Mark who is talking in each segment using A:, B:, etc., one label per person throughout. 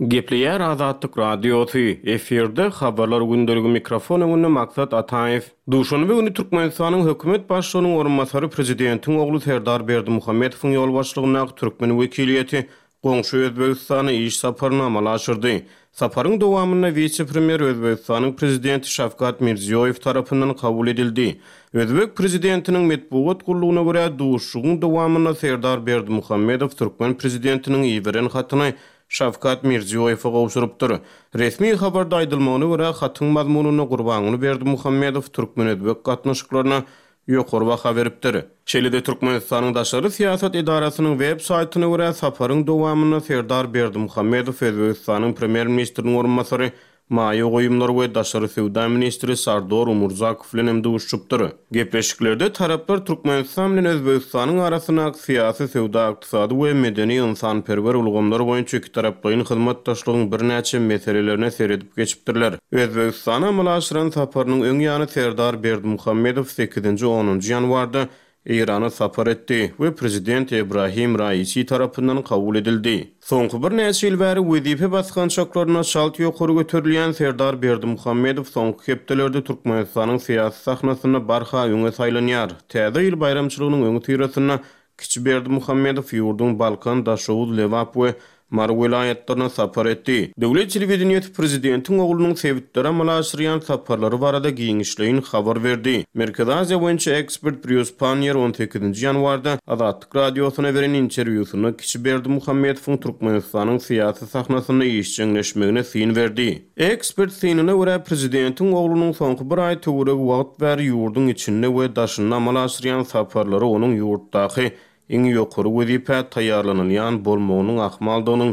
A: Gepleýär Azatlyk Radiosy, efirde Habarlar gündeligi mikrofon öňünde Maksat Ataýew. Duşenbe güni Türkmenistanyň hökümet başlygynyň orunbasary prezidentiň ogly Serdar Berdimuhamedowyň ýolbaşçylygyndaky türkmen wekiliýeti goňşy Özbegistana iş saparyny amala aşyrdy. Saparyň dowamynda wise-premýer Özbegistanyň Prezidenti Şawkat Mirziýoýew tarapyndan kabul edildi. Özbek prezidentiniň metbugat gullugyna görä, duşuşygyň dowamynda Serdar Berdimuhamedow türkmen prezidentiniň iberen hatyny Şawkat Mirziýoýewe gowşurypdyr. Resmi habarda aýdylmagyna görä, hatyň mazmunynda Gurbanguly Berdimuhamedow türkmen-özbek gatnaşyklaryna ýokary baha beripdir. Şeýle-de Türkmenistanyň daşary syýasat edarasynyň web saýtyna görä, saparyň dowamynda Serdar Berdimuhamedow Özbegistanyň Premýer-ministriniň orunbasary, maýa goýumlar we daşary söwda ministri Sardor Umurzakow bilen hem duşuşypdyr. Gepleşiklerde taraplar Türkmenistan bilen Özbegistanyň arasyndaky syýasy, söwda-ykdysady we medeni-ynsanperwer ulgamlar boýunça ikitaraplaýyn hyzmatdaşlygyň birnäçe meselelerine seredip geçipdirler. Özbegistana amala aşyran saparynyň öň ýany Serdar Berdimuhamedow sekizinji, onunjy ýanwarda Eýrana sapar etdi we prezident Ebrahim Raisi tarapyndan kabul edildi. Soňky birnäçe ýyl bäri wezipe basgançaklarynda çalt ýokary göterilýän Serdar Berdimuhamedow soňky hepdelerde Türkmenistanyň syýasy sahnasynda barha öňe saýlanýar. Täze ýyl baýramçylygynyň öňüsyrasynda Kiçi Berdimuhamedow ýurduň Balkan, Daşoguz, Lebap we Mary welaýatlaryna sapar etdi. Döwlet telewideniýesi prezidentiň oglunyň sebitlere amala aşyrýan saparlary barada giňişleýin habar berdi. Merkezi Aziýa boýunça ekspert Brýus Panniýer on sekizinji ýanwarda Azatlyk Radiosyna beren interwýusynda kiçi Berdimuhamedowyň Türkmenistanyň syýasy sahnasynda işjeňleşmegine syn berdi. Ekspert synyna görä, prezidentiň oglunyň soňky bir aý töweregi wagt bäri ýurduň içinde we daşynda amala aşyrýan saparlary onuň ýurtdaky iň ýokary wezipä taýýarlanylýan bolmagynyň ahmaldygynyň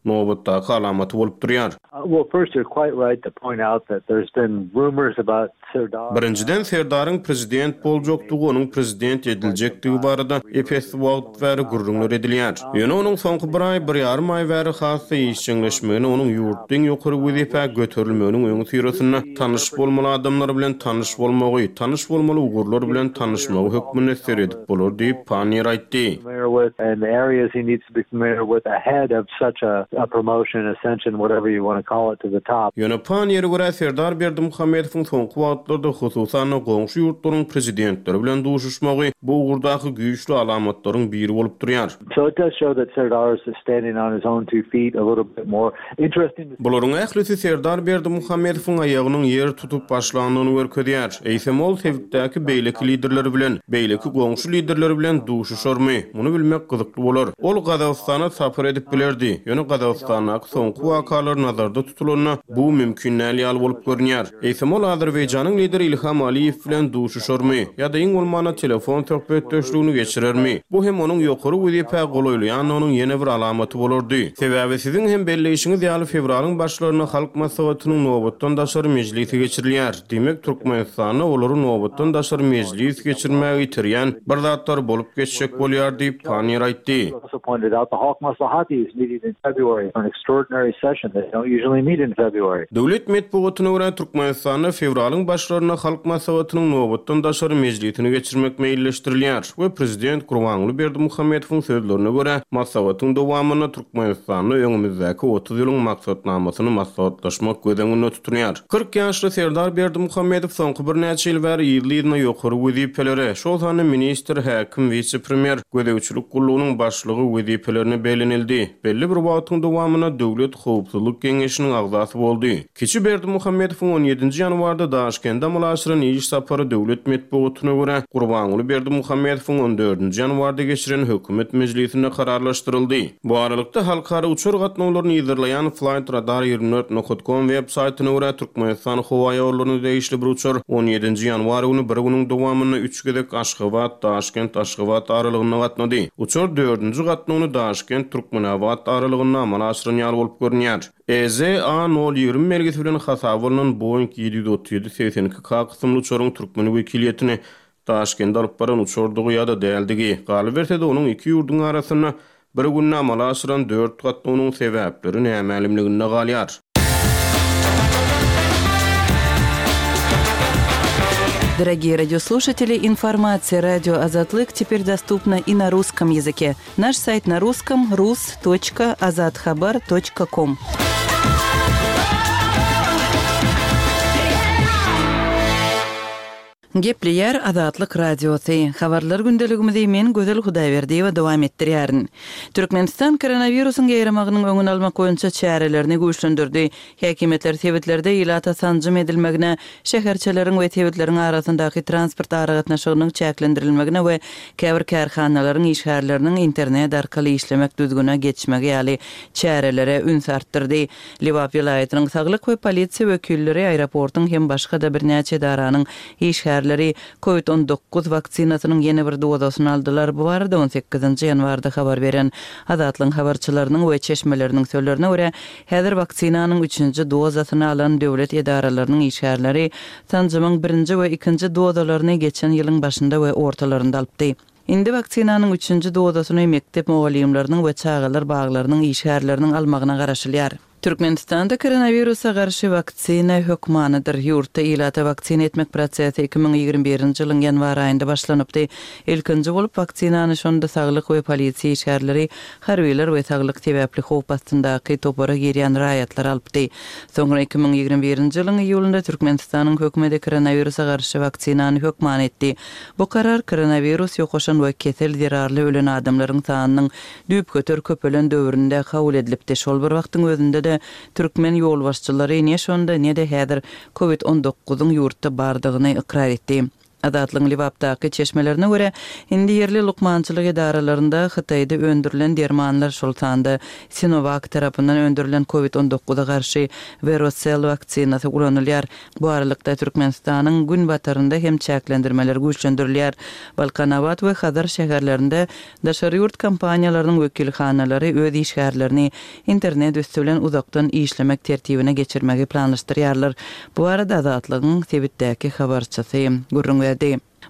A: nobatdaky alamaty bolup durýar. Birinjiden, Serdaryň prezident boljakdygy, onuň prezident ediljekdigi barada ep-esli wagt bäri gürrüňler edilýär. Ýöne onuň soňky bir aý, bir ýarym aý bäri has-da işjeňleşmegini onuň ýurtda iň ýokary wezipä göterilmeginiň öňüsyrasynda tanyş bolmaly adamlar bilen tanyş bolmagy, tanyş bolmaly ugurlar bilen tanyşmagy hökmünde seredip bolar diýip, Panniýer aýtdy. Ýöne Panniýere görä, Serdar Berdimuhamedowyň soňky wagtlarda, hususan-da, goňşy ýurtlaryň prezidentleri bilen duşuşmagy bu ugurdaky güýçli alamatlaryň biri bolup durýar. Bularyň ählisi Serdar Berdimuhamedowyň aýagynyň ýer tutup başlandygyny görkezýär. Eýsem ol sebitdäki beýleki liderler bilen, beýleki goňşy liderler bilen duşuşarmy? Muny bilmek gyzykly bolar. Ol Gazagystana sapar edip bilerdi, ýöne Gazagystandaky soňky wakalar nazarda tutulanda, bu mümkin däl ýaly bolup görünýär. Eýsem ol Azerbaýjanyň lideri Ilham Aliýew bilen duşuşarmy ýa-da iň bolmanda telefon söhbetdeşligini geçirermi? Bu hem onuň ýokary wezipä golaýlaýandygynyň ýene bir alamaty bolardy. Sebäbi siziň hem belleýşiňiz ýaly fewralyň başlarynda Halk Maslahatynyň nobatdan daşary mejlisi geçirilýär. Diýmek, Türkmenistanda olary nobatdan daşary mejlis geçirmäge iterýän bir zatlar bolup geçjek bolýar diýip, Panniýer aýtdy. Döwlet metbugatyna görä, Türkmenistanda fewralyň başlarynda Halk Maslahatynyň nobatdan daşary mejlisini geçirmek meýilleşdirilýär we prezident Gurbanguly Berdimuhamedowyň sözlerine görä, maslahatyň dowamynda Türkmenistanda öňümizdäki 30 ýylyň maksatnamasyny maslahatlaşmak göz öňünde tutulýar. 40 ýaşly Serdar Berdimuhamedow soňky birnäçe ýyl bäri yzly-yzyna ýokary wezipelere, şol sanda ministr, häkim, wise-premýer, gözegçilik gullugynyň başlygy wezipelerine bellenildi. Belli bir wagtyň dowamynda Döwlet howpsuzlyk geňeşiniň agzasy boldy. Kiçi Berdimuhamedowyň on ýedinji ýanwarda Daşkende amala aşyran iş sapary döwlet metbugatyna görä, Gurbanguly Berdimuhamedowyň on dördünji ýanwarda geçiren hökümet mejlisinde kararlaşdyryldy. Bu aralykda, halkara uçar gatnawlaryny yzarlaýan Flightradar 24 nokat com web saýtyna görä, Türkmenistan howaýollaryna degişli bir uçar on ýedinji ýanwar güni bir günüň dowamynda üç gezek Aşgabat, Daşkent, Aşgabat aralygynda gatnady. Uçar dördünji gatnawyny Daşkent, Türkmenabat aralygynda amala aşyran ýaly bolup görünýär. EZA nol 20 belgisi bilen hasaba alnan Boeing 737 82 K kysymly uçaryň türkmen wekiliýetini Daşkende alyp baran uçardygy ýa-da däldigi, galyberse-de onuň iki ýurduň arasynda bir günde amala aşyran dört gatnawynyň sebäpleri nämälimliginde galýar.
B: Дорогие радиослушатели, информация радио Азатлык теперь доступна и на русском языке. Наш сайт на русском rus.azathabar.com. Gepleýär Azatlyk Radiosy. Habarlar gündeligimizi men Gözel Hudaýberdiýewa dowam etdirýärin. Türkmenistan koronawirusyň ýaýramagynyň öňüni almak boýunça çärelerini güýçlendirdi. Häkimiýetler sebitlerde ilata sanjym edilmegine, şäherçeleriň we sebitleriň arasyndaky transport aragatnaşygynyň çäklendirilmegine we käbir kärhanalaryň işgärleriniň internet arkaly işlemek düzgüne geçmegi ýaly çärelere üns artdyrdy. Lebap welaýatynyň saglyk we polisiýa wekilleri, aeroportuň hem başga-da birnäçe edaranyň işgärleri Covid 19 waksinasynyň ýene bir dozasyny aldylar. Bu barada on sekizinji ýanwarda habar beren Azatlygyň habarçylarynyň we çeşmeleriniň sözlerine görä, häzir waksinanyň üçünji dozasyny alan döwlet edaralarynyň işgärleri sanjymyň birinji we ikinji dozalaryny geçen ýylyň başynda we ortalarynda alypdy. Indi waksinanyň üçünji dozasyny mekdep mugallymlarynyň we çagalar baglarynyň işgärleriniň almagyna garaşylýar. Türkmenistanda koronawirusa garşy waksina hökmanydyr. Ýurtda ilata waksina etmek prosesi 2021-nji ýylyň ýanwar aýynda başlanypdy. Ilkinji bolup waksinany şonda saglyk we polisiýa işgärleri, harbylar we saglyk sebäpli howp astyndaky topara girýän raýatlar alypdy. Soňra 2021-nji ýylyň iýulynda Türkmenistanyň hökümeti koronawirusa garşy waksinany hökmany etdi. Bu karar koronawirus ýokaşan we kesel zerarly ölen adamlaryň sanynyň düýpgöter köpelen döwründe kabul edilipdi. Şol bir wagtyň özünde-de türkmen ýolbaşçylary ne şonda, ne-de häzir Covid on dokuzyň ýurtda bardygyny ykrar etdi. Azatlygyň Lebapdaky çeşmelerine görä, indi ýerli lukmançylyk edaralarynda Hytaýda öndürilen dermanlar, şol sanda Sinovac tarapyndan öndürilen Covid on dokuza garşy Verocell waksinasy ulanylýar. Bu aralykda, Türkmenistanyň günbatarynda hem çäklendirmeler güýçlendirilýär. Balkanabat we Hazar şäherlerinde daşary ýurt kompaniýalarynyň wekilhanalary öz işgärlerini internet üsti bilen uzakdan işlemek tertibine geçirmegi planlaşdyrýarlar. Bu barada Azatlygyň sebitdäki habarçysy gürrüň berdi.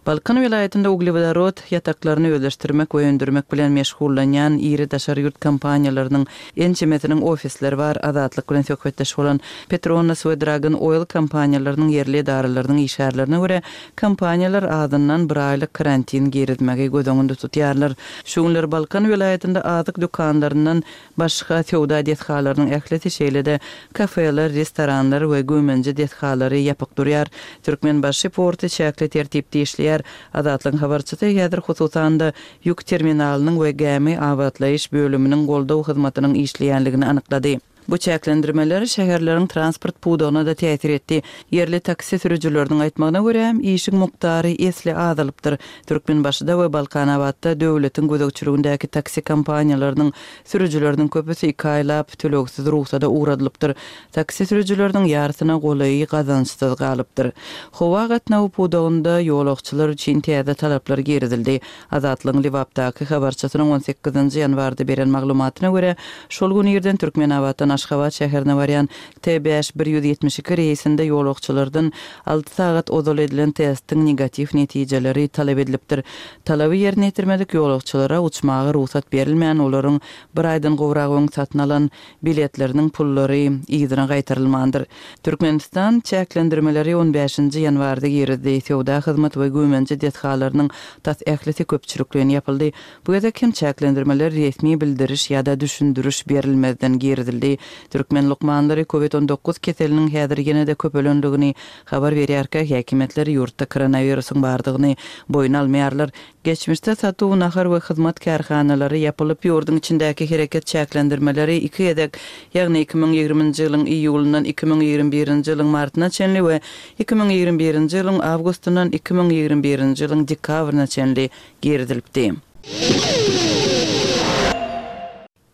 B: Balkan welaýatynda uglewodorod ýataklaryny özleşdirmek we öndürmek bilen meşgullanýan iri daşary ýurt kompaniýalarynyň ençemesiniň ofisleri bar. Azatlyk bilen söhbetdeş bolan Petronas we Dragon Oil kompaniýalarynyň ýerli edaralarynyň işgärlerine görä, kompaniýalar azyndan bir aýlyk karantin girizmegi göz öňünde tutýarlar. Şu günler Balkan welaýatynda azyk dükanlaryndan Başga söwda desgalarynyň ählisi, şeýle-de kafeler, restoranlar we güýmenje desgalary ýapyk durýar. Türkmenbaşy porty çäkli tertipde işleýär. Azatlygyň habarçysy häzir hususan-da ýük terminalynyň we gämi abatlaýyş bölüminiň goldaw hyzmatynyň işleýänligini anyklady. Bu çäklendirmeler şäherleriň transport pudagyna-da täsir etdi. Ýerli taksi sürüjileriniň aýtmagyna görä, işiň mukdary esli azalypdyr. Türkmenbaşyda we Balkanabatda döwletiň gözegçiligindäki taksi kompaniýalarynyň sürüjileriniň köpüsi iki aýlap tölegsiz rugsada ugradylypdyr. Taksi sürüjileriniň ýarysyna golaýy gazançsyz galypdyr. Howa gatnawy pudagynda ýolagçylar üçin täze talaplar girizildi. Azatlygyň Lebapdaky habarçysynyň on sekizinji ýanwarda beren maglumatyna görä, şol gün irden Türkmenabatdan Aşgabat şäherine barýan T 5172 reýsinde ýolagçylardan alty sagat ozal edilen testiň negatiw netijeleri talap edilipdir. Talaby ýerine ýetirmedik ýolagçylara uçmaga rugsat berilmän, olaryň bir aýdan gowrak öň satyn alan biletleriniň pullary yzyna gaýtarylmandyr. Türkmenistan çäklendirmeleri on bäşinji ýanwarda girizdi. Söwda, hyzmat we güýmenje desgalarynyň tas ählisi köpçülikleýin ýapyldy. Bu gezek hem çäklendirmeler resmi bildiriş ýa-da düşündiriş berilmezden girizildi. Türkmen lukmanlary Covid 19 keseliniň häzir ýene-de köpelendigini habar berýärkä, häkimiýetler ýurtda koronawirusyň bardygyny boýun almaýarlar. Geçmişde satuw, nahar we hyzmat kärhanalary ýapylyp, ýurduň içindäki hereket çäklendirmeleri iki gezek, ýagny 2020-nji ýylyň iýulyndan 2021-nji ýylyň martyna çenli we 2021-nji ýylyň awgustyndan 2021-nji ýylyň dekabryna çenli girizilipdi.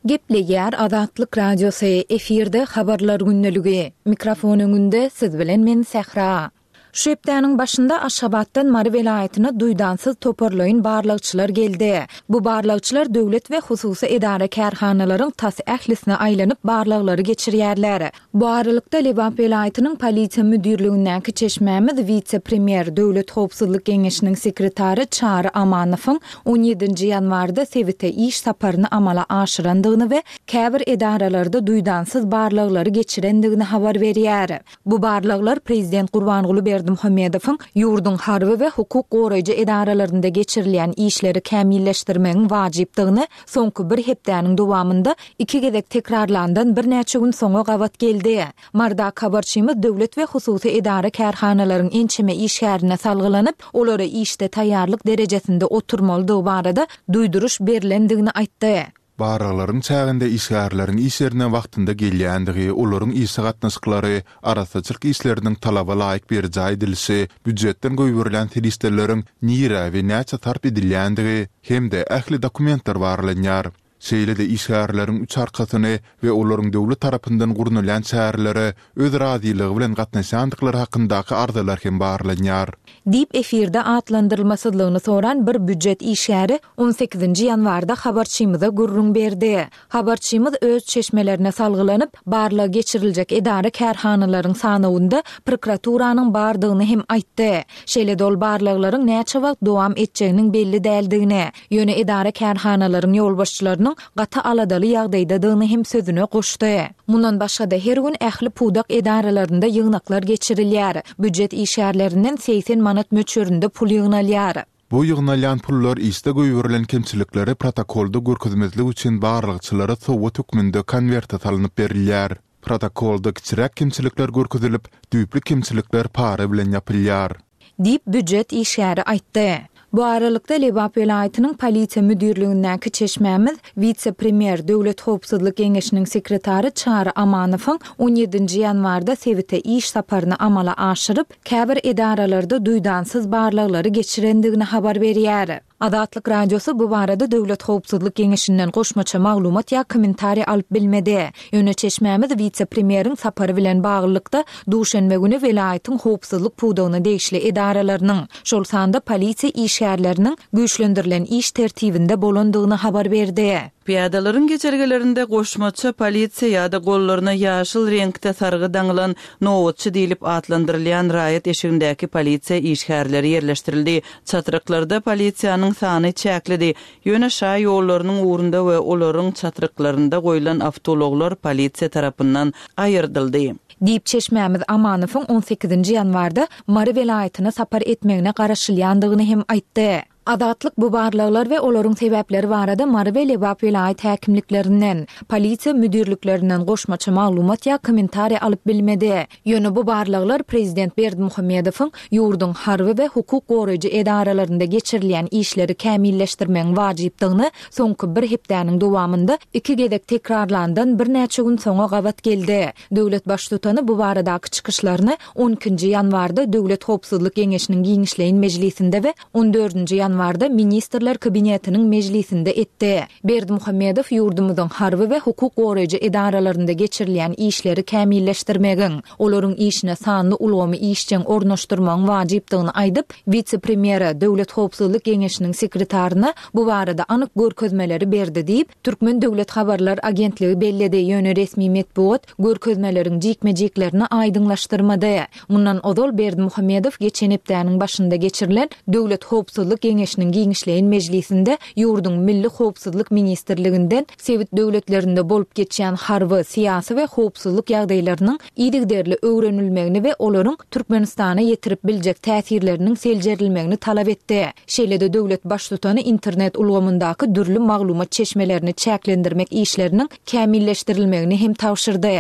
C: Gepleýär Azatlyk Radiosy, efirde Habarlar gündeligi. Mikrofon öňünde siz bilen men Sähra. Şu hepdäniň başynda Aşgabatdan Mary welaýatyna duýdansyz toparlaýyn barlagçylar geldi. Bu barlagçylar döwlet we hususy edara-kärhanalaryň tas ählisine aýlanyp barlaglary geçirýärler. Bu aralykda, Lebap welaýatynyň Polisiýa müdirligindäki çeşmämiz wise-premýer, Döwlet howpsuzlyk geňeşiniň sekretary Çary Amanowyň on ýedinji ýanwarda sebite iş saparyny amala aşyrandygyny we käbir edaralarda duýdansyz barlaglary geçirendigini habar berýär. Bu barlaglar prezident Gurbanguly Berdimuhamedowyň. Berdimuhamedowyň ýurduň harby we hukuk goraýjy edaralarynda geçirilýän işleri kämilleşdirmegiň wajypdygyny soňky bir hepdäniň dowamynda iki gezek tekrarlandan birnäçe gün soňa gabat geldi. Marydaky habarçymyz döwlet we hususy edara-kärhanalaryň ençeme işgärine salgylanyp, olara işde taýýarlyk derejesinde oturmalydygy barada duýduryş berlendigini aýtdy.
D: Barlaglaryň çäginde işgärleriň iş ýerine wagtynda gelýändigi, olaryň işe gatnaşyklary, arassaçylyk işleriniň talaba laýyk berjaý edilişi, býujetden goýberilýän serişdeleriň nirä we näçe sarp edilýändigi hem-de ähli dokumentler barlanýar. Şeýle-de işgärleriň üç arkasyny we olaryň döwlet tarapyndan gurnalýan çärelere öz razylygy bilen gatnaşýandyklary hakyndaky arzalar hem barlanýar.
C: Diýip, efirde atlandyrylmasyzlygyny soran bir býujet işgäri on sekizinji ýanwarda habarçymyza gürrüň berdi. Habarçymyz öz çeşmelerine salgylanyp, barlag geçiriljek edara-kärhanalaryň sanawynda prokuraturanyň bardygyny hem aýtdy. Şeýle-de ol barlaglaryň näçe wagt dowam etjeginiň belli däldigini, ýöne edara-kärhanalaryň ýolbaşçylarynyň gaty aladaly ýagdaýdadygyny hem sözüne goşdy. Mundan başga-da, her gün ähli pudak edaralarynda ýygnaklar geçirilýär. Býujet işgärlerinden 80 manat möçberinde pul ýygnalýar.
D: Bu ýygnalýan pullar işde goýberilen kemçilikleri protokolda görkezmezlik üçin barlagçylara sowgat hökmünde konwerte salnyp berilýär. Protokolda kiçiräk kemçilikler görkezilip, düýpli kemçilikler para bilen ýapylýar.
C: Diýip, býujet işgäri aýtdy. Bu aralykda, Lebap welaýatynyň Polisiýa müdirligindäki çeşmämiz wise-premýer, Döwlet howpsuzlyk geňeşiniň sekretary Çary Amanowyň on ýedinji ýanwarda sebite iş saparyny amala aşyryp, käbir edaralarda duýdansyz barlaglary geçirendigini habar berýär. Azatlyk Radiosy bu barada Döwlet howpsuzlyk geňeşinden goşmaça maglumat ýa kommentariý alyp bilmedi. Ýöne çeşmämiz wise-premýeriň sapary bilen baglylykda, duşenbe güni welaýatyň howpsuzlyk pudagyna degişli edaralarynyň, şol sanda polisiýa işgärleriniň güýçlendirilen iş tertibinde bolandygyny habar berdi.
B: Pyýadalaryň geçelgelerinde goşmaça polisiýa ýa-da gollaryna ýaşyl reňkde sargy daňylan nobatçy diýlip atlandyrylýan raýat eşigindäki polisiýa işgärleri ýerleşdirildi. Çatryklarda polisiýanyň sany çäklidi. Ýöne şa ýollarynyň ugrunda we olaryň çatryklarynda goýlan awtoulaglar polisiýa tarapyndan aýyrdyldy.
C: Diýip, çeşmämiz Amanowyň on sekizinji ýanwarda Mary welaýatyna sapar etmegine garaşylýandygyny hem aýtdy. Azatlyk bu barlaglar we olaryň sebäpleri barada Mary we Lebap welaýat häkimliklerinden, polisiýa müdirliklerinden goşmaça maglumat ýa kommentariý alyp bilmedi. Ýöne bu barlaglar prezident Berdimuhamedowyň ýurduň harby we hukuk goraýjy edaralarynda geçirilýän işleri kämilleşdirmegiň wajypdygyny soňky bir hepdäniň dowamynda iki gezek tekrarlandan birnäçe gün soňa gabat geldi. Döwlet Baştutany bu baradaky çykyşlaryny on ikinji ýanwarda Döwlet howpsuzlyk geňeşiniň giňişleýin mejlisinde we on dördünji ýanwarda Ministrler Kabinetiniň mejlisinde etdi. Berdimuhamedow ýurdumyzyň harby we hukuk goraýjy edaralarynda geçirilýän işleri kämilleşdirmegiň, olaryň işine sanly ulgamy işjeň ornaşdyrmagyň wajypdygyny aýdyp, wise-premýere, Döwlet howpsuzlyk geňeşiniň sekretaryna bu barada anyk görkezmeleri berdi diýip, Türkmen döwlet habarlar agentligi belledi, ýöne resmi metbugat görkezmeleriň jikme-jiklerini aýdyňlaşdyrmady. Mundan ozal Berdimuhamedow geçen hepdäniň başynda geçirilen Döwlet howpsuzlyk geňeşiniň giňişleýin mejlisinde ýurduň Milli howpsuzlyk ministrliginden sebit döwletlerinde bolup geçýän harby, syýasy we howpsuzlyk ýagdaýlarynyň yzygiderli öwrenilmegini we olaryň Türkmenistana ýetirip biljek täsirleriniň seljerilmegini talap etdi. Şeýle-de döwlet Baştutany internet ulgamyndaky dürli maglumat çeşmelerini çäklendirmek işleriniň kämilleşdirilmegini hem tabşyrdy.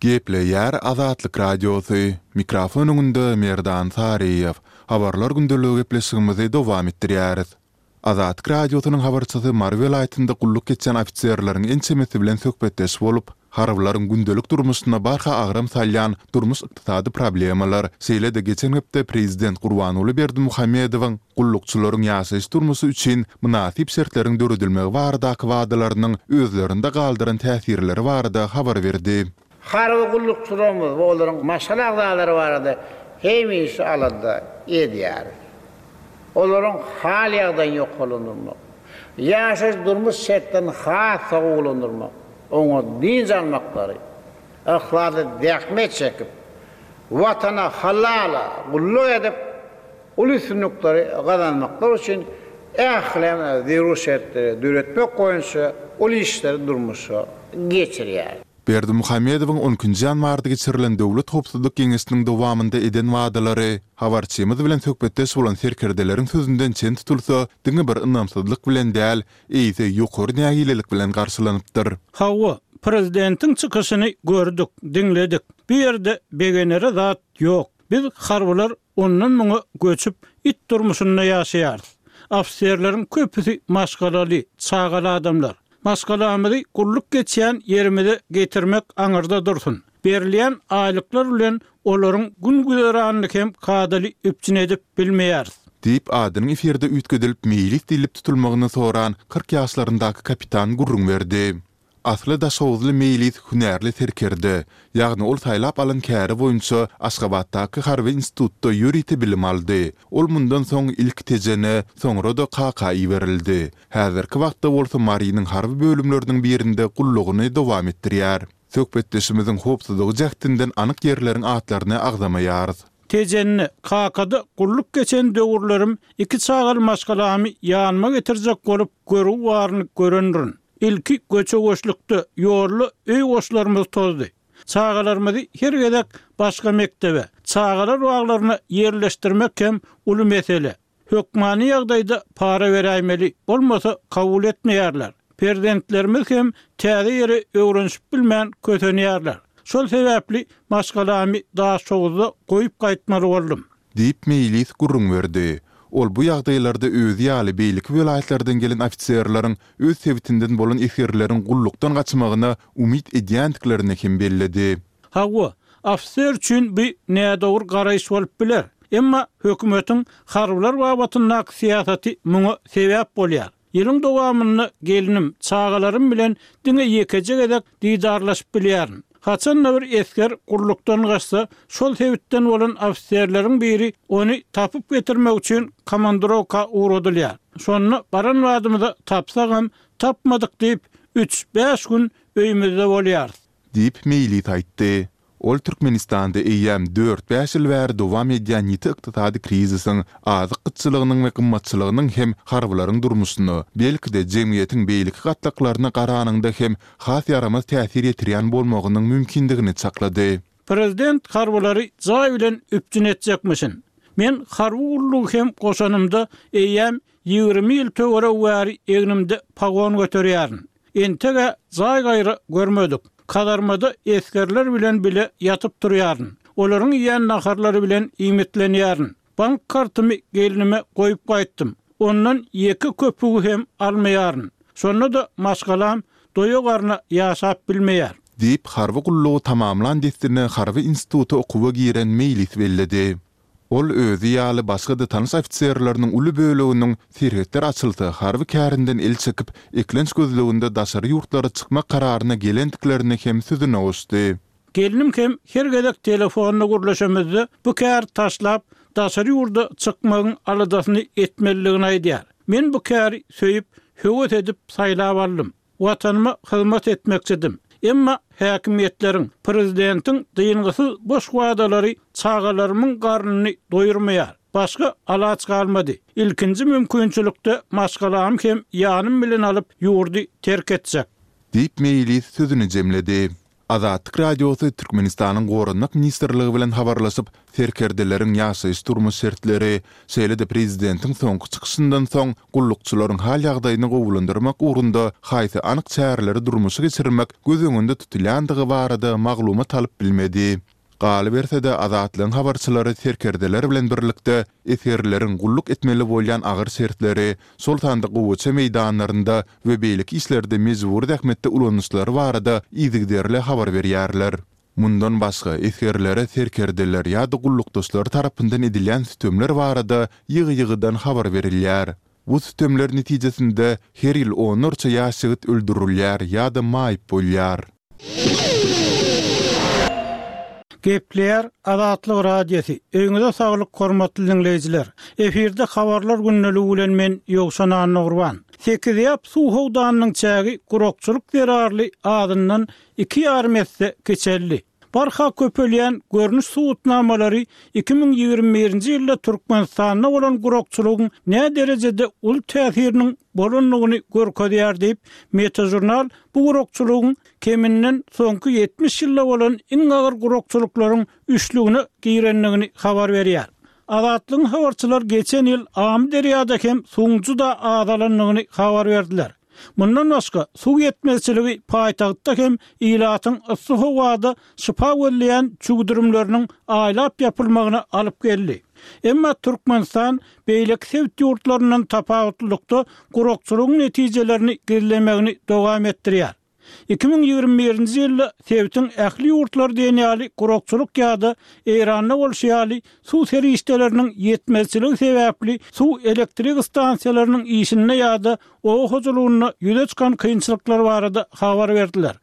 D: Gepleýär Azatlyk Radiosy, Mikrofon öňünde Merdan Saryýew. Habarlar gündeligi gepleşigimizi dowam etdirýäris. Azatlyk Radiosynyň habarçysy Mary welaýatynda gulluk etýän ofiserleriň ençemesi bilen söhbetdeş bolup, harbylaryň gündelik durmuşyna barha agram salýan durmuş-ykdysady problemalar, şeýle-de geçen hepde prezident Gurbanguly Berdimuhamedowyň gullukçylaryň ýaşaýyş-durmuşy üçin mynasyp şertleriň döredilmegi baradaky wadalarynyň özlerinde galdyran täsirleri barada habar berdi.
E: Harby gullukçylarymyz we olaryň maşgala agzalary barada hemişe alada edýäris. Olaryň hal-ýagdaýyny ýokarlandyrmak, ýaşaýyş-durmuş şertlerini has-da gowulandyrmak, oňat dynç almaklary, yhlasly zähmet çekip, Watana halal gulluk edip, uly üstünlikleri gazanmaklary üçin ähli zerur şertleri döretmek boýunça uly işleri durmuşa geçirýär.
D: Berdimuhamedowyň on ikinji ýanwarda geçirilen Döwlet howpsuzlyk geňeşiniň dowamynda eden wadalary, habarçymyz bilen söhbetdeş bolan serkerdeleriň sözünden çen tutulsa, diňe bir ynamsyzlyk bilen däl, eýse ýokary nägilelik bilen garşylanypdyr.
F: Hawa, prezidentiň çykyşyny gördük, diňledik. Bu ýerde begenere zat ýok. Biz harbylar ondan-muňa göçüp, it durmuşynda ýaşaýarys. Ofiserleriň köpüsi maşgalaly, çagaly adamlar. Maşgalamyzy gulluk geçýän ýerimize getirmek aňyrda dursun. Berilýän aýlyklar bilen olaryň gün-güzeranyny hem kadaly üpjün edip bilmeýäris.
D: Diýip, adynyň efirde üýtgedilip Meýlis diýlip tutulmagyny soran 40 ýaşlaryndaky kapitan gürrüň berdi. Asly daşhowuzly Meýlis hünärli serkerde, ýagny ol saýlap alan käri boýunça Aşgabatdaky harby institutda ýörite bilim aldy. Ol mundan soň ilki Tejene, soňra-da Kaka iberildi. Häzirki wagtda bolsa Marynyň harby bölümleriniň birinde gullugyny dowam etdirýär. Söhbetdeşimiziň howpsuzlygy jähtinden anyk ýerleriň atlaryny agzamaýarys.
F: Tejende, Kakada gulluk geçen döwürlerim iki çagaly maşgalamy ýanyma getirjek bolup görgi baryny görendirin. Ilki göçe-göçlükde, ýolda öý goşlarymyz tozdy. Çagalarymyzy her gezek başga mekdebe, çagalar baglaryna ýerleşdirmek hem uly mesele. Hökmany ýagdaýda para beräýmeli, bolmasa kabul etmeýärler. Perzentlerimiz hem täze ýere öwrenişip bilmän kösenýärler. Şol sebäpli maşgalamy Daşhowuzda goýup gaýtmaly boldum.
D: Diýip, Meýlis gürrüň berdi. Ol bu ýagdaýlarda özi ýaly beýleki welaýatlardan gelen ofiserleriň öz sebitinden bolan esgerleriň gullukdan gaçmagyna umyt edýändiklerini hem belledi.
F: Hawa, ofiser üçin bu nädogry garaýyş bolup biler. Emma hökümetiň harbylar babatyndaky syýasaty muňa sebäp bolýar. Ýylyň dowamynda gelnim, çagalarym bilen diňe ýekeje gezek didarlaşyp bilýärin. Haçan-da bir esger gullukdan gaçsa, şol sebitden bolan ofiserleriň biri ony tapyp getirmek üçin komandirowka ugradylýar. Şonda baran badymyza tapsagam, tapmadyk diýip, üç-bäş gün öýümizde bolýarys.
D: Diýip, Meýlis aýtdy. Ol Türkmenistanda eýýäm dört-bäş ýyl bäri dowam edýän ýiti ykdysady krizisiň, azyk gytçylygynyň we gymmatçylygynyň hem harbylaryň durmuşyna, belki-de, jemgyýetiň beýleki gatlaklaryna garanyňda hem has ýaramaz täsir ýetirýän bolmagynyň mümkindigini çaklady.
F: Prezident harbylary jaý bilen üpjün etjekmişin. Men harby gullugy hem goşanymda eýýäm 20 ýyl töweregi bäri egnimde pagon göterýärin. Enteg-ä jaý gaýra görmedik. Kazarmada esgerler bilen bile ýatyp turýaryn. Olaryň iýen naharlary bilen iýmitlenýärin. Bank kartymy gelnime goýup gaýtdym. Ondan ýeke köpügi hem almaýaryn. Şonda-da maşgalam doýa garna ýaşap bilmeýär.
D: Diýip, harby gullugy tamamlan dessine harby instituta okuwa giren Meýlis belledi. Ol özi ýaly başga-da tanyş ofiserleriniň uly böleginiň serhetler açylsa harby kärinden el çekip, eklenç gözleginde daşary ýurtlara çykmak kararyna gelendiklerini hem sözüne goşdy.
F: Gelnim hem her gezek telefonda gürleşemizde bu käri taşlap, daşary ýurda çykmagyň aladasyny etmelidigini aýdýar. Men bu käri söýüp, höwes edip saýlap aldym. Watanyma hyzmat etmekçidim. Emma häkimiýetleriň, prezidentiň dyngysyz boş wadalary çagalarymyň garnyny doýurmaýar. Başga alaç galmady. Ilkinji mümkinçilikde maşgalamy hem ýanym bilen alyp, ýurdy terk etjek.
D: Diýip, Meýlis sözüni jemledi. Azatlyk Radiosy Türkmenistanyň Goranmak ministrligi bilen habarlaşyp, serkerdeleriň ýaşaýyş-durmuş şertleri, şeýle-de prezidentiň soňky çykyşyndan soň gullukçylaryň hal-ýagdaýyny gowulandyrmak ugrunda haýsy anyk çäreleri durmuşa geçirmek göz öňünde tutulýandygy barada maglumat alyp bilmedi. Galyberse-de, Azatlygyň habarçylary serkerdeler bilen birlikde esgerleriň gulluk etmeli bolýan agyr şertleri, şol sanda gowaça meýdanlarynda we beýleki işlerde mejbury zähmetde ulanyşlary barada yzygiderli habar berýärler. Mundan başga, esgerlere serkerdeler ýa-da gullukdaşlary tarapyndan edilýän sütemler barada ýygy-ýygydan habar berilýär. Bu sütemler netijesinde her ýyl onlarça ýaş ýigit öldürilýär ýa-da maýyp bolýar.
F: Gepleýär Azatlyk Radiosy, Öýüňize saglyk hormatly diňleýjiler! Efirde Habarlar gündeligi bilen men Ýowşan Annagurban. Sekizýap suw howdanynyň çägi gurakçylyk zerarly azyndan iki ýarym esse kiçeldi. Barha köpelýän görnüş subutnamalary 2021-nji ýylda Türkmenistanda bolan gurakçylygyň näderejede uly täsiriniň bolandygyny görkezýär diýip, Metažurnal bu gurakçylygyň keminden soňky 70 ýylda bolan iň agyr gurakçylyklaryň üçlügine girendigini habar berýär. Azatlygyň habarçylary geçen ýyl Amyderýada hem suwuň juda azalandygyny habar berdiler. Mundan başga, suw ýetmezçiligi paýtagtda hem ilatyň yssy howada şypa gözleýän çüwdürimleriniň aýlap ýapylmagyna alyp geldi. Emma Türkmenistan beýleki sebit ýurtlaryndan tapawutlylykda gurakçylygyň netijelerini gizlemegini dowam etdirýär. 2021-nji ýylda sebitiň ähli ýurtlary diýen ýaly gurakçylyk ýa-da Eýranda bolşy ýaly suw serişdeleriniň ýetmezçiligi sebäpli suw elektrik stansiýalarynyň işinde ýa-da oba hojalygynda ýüze çykan kynçylyklar barada habar berdiler.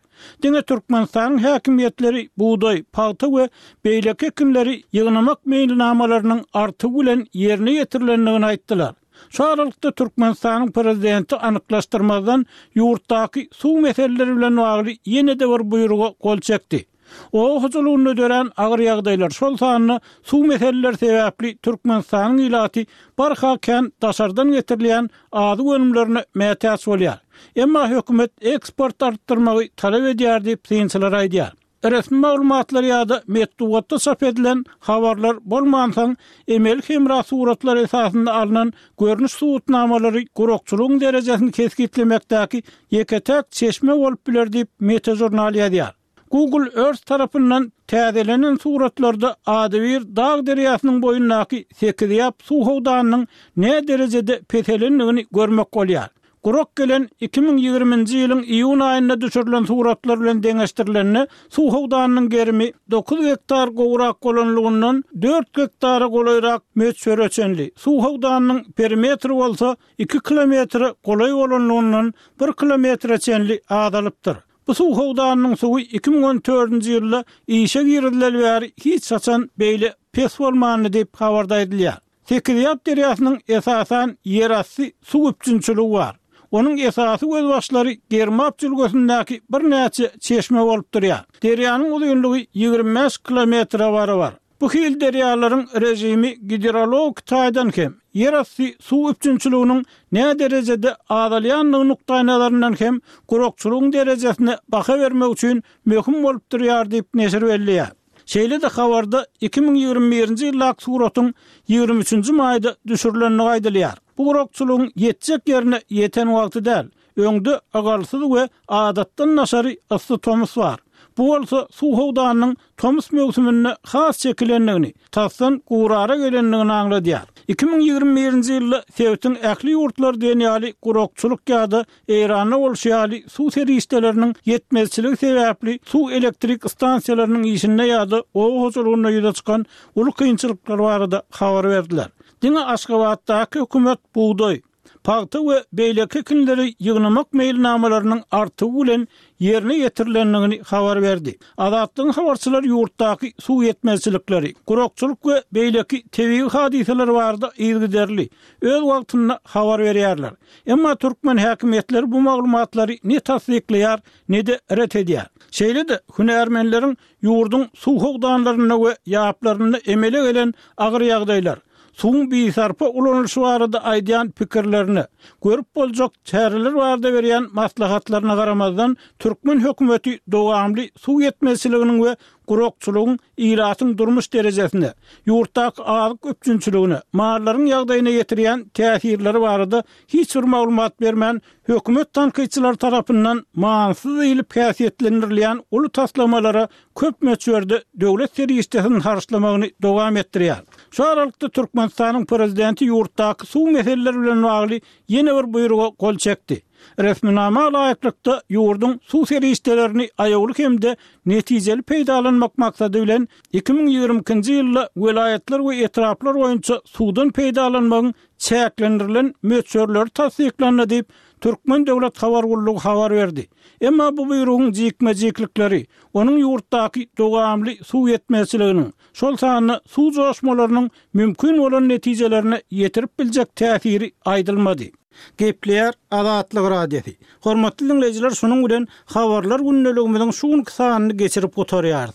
F: Diňe Türkmenistanyň häkimiýetleri bugdaý, pagta we beýleki ekinleri ýygnamak meýilnamalarynyň artygy bilen ýerine ýetirilendigini aýtdylar. Şu aralykda Türkmenistanyň prezidenti anyklaşdyrmazdan ýurtdaky suw meseleleri bilen bagly ýene-de bir buýruga gol çekdi. Oba hojalygynda dörän agyr ýagdaýlar, şol sanda suw meseleleri sebäpli Türkmenistanyň ilaty barha kän daşardan getirilýän azyk önümlerine mätäç bolýar. Emma hökümet eksporty artdyrmagy talap edýär diýip, synçylar aýdýar. Resmi maglumatlar ýa-da metbugatda çap edilen habarlar bolmansoň, emeli hemra suratlary esasynda alnan görnüş subutnamalary gurakçylygyň derejesini kesgitlemekdäki ýeke-täk çeşme bolup biler diýip, Metažurnal ýazýar. Google Earth tarapyndan täzelenen suratlarda adybir dag derýasynyň boýundaky Sekizýap suw howdanynyň näderejede peselendigini görmek bolýar. Gurak gelen 2020-nji ýylyň iýun aýynda düşürilen suratlar bilen deňeşdirilende, suw howdanynyň gerimi dokuz gektar gowrak bolanlygyndan dört gektara golaýrak möçbere çenli, suw howdanynyň perimetri bolsa iki kilometre golaý bolanlygyndan bir kilometre çenli azalypdyr. Bu suw howdanynyň suwy 2014-nji ýylda işe girizileli bäri hiç haçan beýle pes bolmandy diýip, habarda aýdylýar. Sekizýap derýasynyň esasan ýerasty suw üpjünçiligi bar. Onuň esasy gözbaşlary Germap jülgesindäki birnäçe çeşme bolup durýar. Derýanyň uzynlygy 25 kilometre barabar. Bu hili derýalaryň režimi gidrologik taýdan hem, ýerasty suw üpjünçiliginiň näderejede azalýandygy nukdaýnazaryndan hem gurakçylygyň derejesine baha bermek üçin möhüm bolup durýar diýip, neşir belleýär. Şeýle-de habarda 2021-nji ýyldaky suratyň 23-nji maýda düşürilendigi aýdylýar. Bu gurakçylygyň ýetjek ýerine ýeten wagty däl. Öňde ygalsyz we adatdan daşary yssy tomus bar. Bu bolsa suw howdanynyň tomus möwsüminde has çekilendigini, tasdan gurara gelendigini aňladýar. 2021-nji ýylda sebitiň ähli ýurtlary diýen ýaly gurakçylyk ýa-da Eýranda bolşy ýaly, suw serişdeleriniň ýetmezçiligi sebäpli suw elektrik stansiýalarynyň işinde ýa-da oba hojalygynda ýüze çykan uly kynçylyklar barada habar berdiler. Diňe Aşgabatdaky hökümet bugdaý, pagta we beýleki ekinleri ýygnamak meýilnamalarynyň artygy bilen ýerine ýetirilendigini habar berdi. Azatlygyň habarçylary ýurtdaky suw ýetmezçilikleri, gurakçylyk we beýleki tebigy hadysalar barada yzygiderli, öz wagtynda habar berýärler. Emma türkmen häkimiýetleri bu maglumatlary ne tassyklaýar, ne-de ret edýär. Şeýle-de, hünärmenleriň ýurduň suw howdanlarynda we ýaplarynda emele gelen agyr ýagdaýlar, suwuň bisarpa ulanylyşy barada aýdýan pikirlerine, görüp boljak çäreler barada berýän maslahatlaryna garamazdan, türkmen hökümeti dowamly suw ýetmezçiliginiň we gurakçylygyň ilatyň durmuş derejesine, ýurtdaky azyk üpjünçiligine, mallaryň ýagdaýyna ýetirýän täsirleri barada hiç bir maglumat bermän, hökümet tankytçylary tarapyndan manysyz diýlip häsiýetlendirilýän uly taslamalara köp möçberde döwlet serişdesini harçlamagyny dowam etdirýär. Şu aralykda Türkmenistanyň prezidenti ýurtdaky suw meseleleri bilen bagly ýene bir buýruga gol çekdi. Resminama laýyklykda, ýurduň suw serişdelerini aýawly hem-de netijeli peýdalanmak maksady bilen, 2022-nji ýylda welaýatlar we etraplar boýunça suwdan peýdalanmagyň çäklendirilen möçberleri tassyklandy diýip, Türkmen döwlet habar gullugy habar berdi. Emma bu buýrugyň jikme-jiklikleri, onuň ýurtdaky dowamly suw ýetmezçiliginiň, şol sanda suw joşmalarynyň mümkin bolan netijelerine ýetirip biljek täsiri aýdylmady. Gepleýär Azatlyk Radiosy. Hormatly diňleýjiler şunuň bilen Habarlar gündeligimiziň şu günki sanyny geçirip gutarýarys.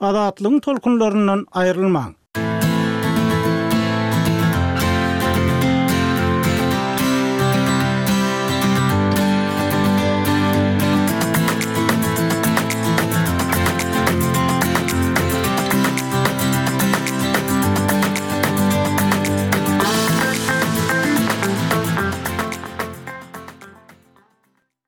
F: Azatlygyň tolkunlaryndan aýrylmaň!